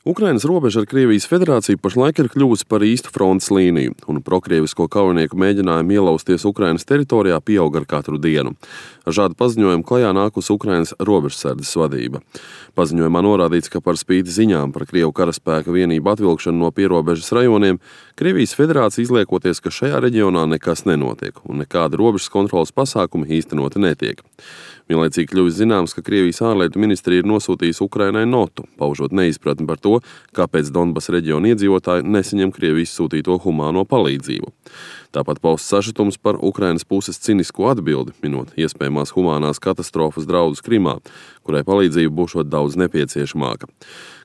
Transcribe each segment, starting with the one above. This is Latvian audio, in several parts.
Ukrainas robeža ar Krievijas federāciju pašlaik ir kļuvusi par īstu frontes līniju, un prokrievisko kaujinieku mēģinājumi ielausties Ukrainas teritorijā pieaug ar katru dienu. Ar šādu paziņojumu klajā nākusi Ukrainas robežsardzes vadība. Paziņojumā norādīts, ka par spīti ziņām par Krievu karaspēka vienību atvilkšanu no pierobežas rajoniem, Krievijas federācija izliekoties, ka šajā reģionā nekas nenotiek, un nekāda robežas kontrolas pasākumi īstenoti netiek. Vienlaicīgi kļuvis zināms, ka Krievijas ārlietu ministrija ir nosūtījusi Ukrainai notu, paužot neizpratni par to, kāpēc Donbas reģiona iedzīvotāji nesaņem Krievijas sūtīto humāno palīdzību. Tāpat pausts sašutums par Ukrainas puses cinisko atbildi, minot iespējamās humānās katastrofas draudus Krimā, kurai palīdzība būšot daudz nepieciešamāka.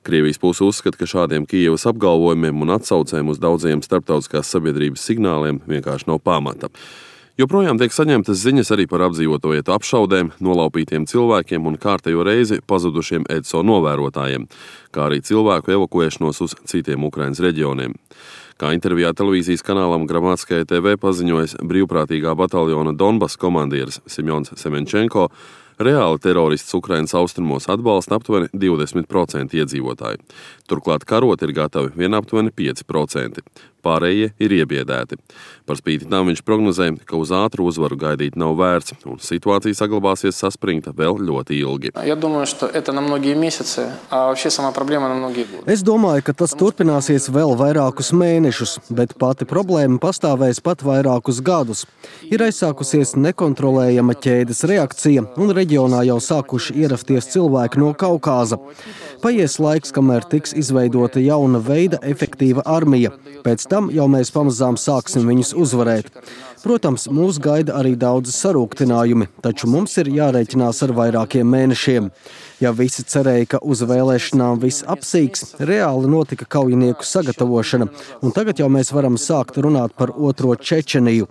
Krievijas puse uzskata, ka šādiem Kijevas apgalvojumiem un atsaucēm uz daudziem starptautiskās sabiedrības signāliem vienkārši nav pamata. Joprojām tiek saņemtas ziņas arī par apdzīvoto vietu apšaudēm, nolaupītiem cilvēkiem un kārtējo reizi pazudušiem EDSO novērotājiem, kā arī cilvēku evakuēšanos uz citiem Ukrainas reģioniem. Kā intervijā televīzijas kanālam Gramatskaja TV paziņojas brīvprātīgā bataljona Donbas komandieris Semjons Semenčenko, reāli terorists Ukrainas austrumos atbalsta aptuveni 20% iedzīvotāju. Turklāt karot ir gatavi vien aptuveni 5%. Pārējie ir iebiedēti. Par spīti tam viņš prognozē, ka uz ātru uzvaru gaidīt nav vērts, un situācija saglabāsies saspringta vēl ļoti ilgi. Es domāju, ka tas turpināsies vēl vairākus mēnešus, bet pati problēma pastāvēs pat vairākus gadus. Ir aizsākusies nekontrolējama ķēdes reakcija, un reģionā jau sākuši ierasties cilvēki no Kaukāza. Paies laiks, kamēr tiks izveidota jauna veida efektīva armija. Pēc tam jau mēs pamazām sāksim viņus uzvarēt. Protams, mūs gaida arī daudz sarūktinājumi, taču mums ir jārēķinās ar vairākiem mēnešiem. Ja visi cerēja, ka uz vēlēšanām viss apsīks, reāli notika kaujinieku sagatavošana, un tagad jau mēs varam sākt runāt par otro Čečeniju.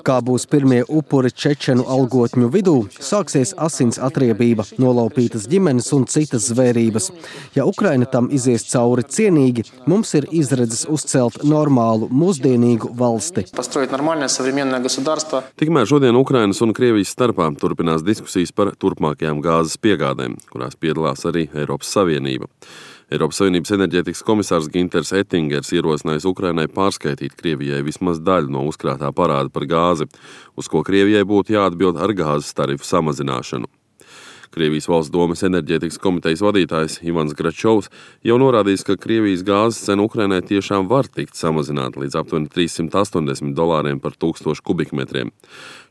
Kā būs pirmie upuri čečenu algotņu vidū, sāksies asins atriebība, nolaupītas ģimenes un citas zvērības. Ja Ukraina tam izies cauri cienīgi, mums ir izredzes uzcelt normālu, mūsdienīgu valsti. Tikmēr šodien Ukrainas un Krievijas starpā turpinās diskusijas par turpmākajām gāzes piegādēm, kurās piedalās arī Eiropas Savienība. Eiropas Savienības enerģētikas komisārs Ginters Ettingers ierosinājis Ukrainai pārskaitīt Krievijai vismaz daļu no uzkrātā parāda par gāzi, uz ko Krievijai būtu jāatbild ar gāzes tarifu samazināšanu. Krievijas valsts domes enerģētikas komitejas vadītājs Ivans Gračovs jau norādījis, ka Krievijas gāzes cena Ukrainai tiešām var tikt samazināta līdz aptuveni $380 par 1000 kubikmetriem.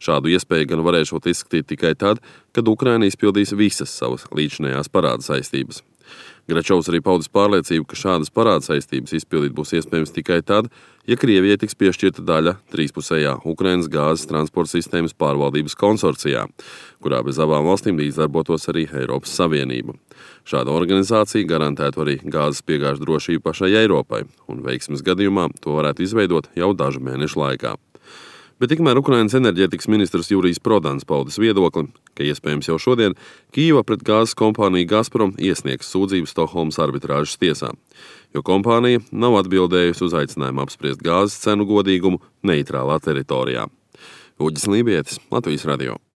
Šādu iespēju gan varēšot izskatīt tikai tad, kad Ukraina izpildīs visas savas līdzinējās parāda saistības. Gračovs arī paudis pārliecību, ka šādas parāda saistības izpildīt būs iespējams tikai tad, ja Krievijai tiks piešķirta daļa trīspusējā Ukrainas gāzes transporta sistēmas pārvaldības konsorcijā, kurā bez abām valstīm līdzdarbotos arī Eiropas Savienība. Šāda organizācija garantētu arī gāzes piegāžu drošību pašai Eiropai, un veiksmes gadījumā to varētu izveidot jau dažu mēnešu laikā. Bet tikmēr Ukrainas enerģētikas ministrs Jurijs Prodans paudis viedokli, ka iespējams jau šodien Kijeva pret gāzes kompāniju Gazprom iesniegs sūdzību Stokholmas arbitrāžas tiesā, jo kompānija nav atbildējusi uz aicinājumu apspriest gāzes cenu godīgumu neitrālā teritorijā. Uģis Lībietis, Latvijas radio.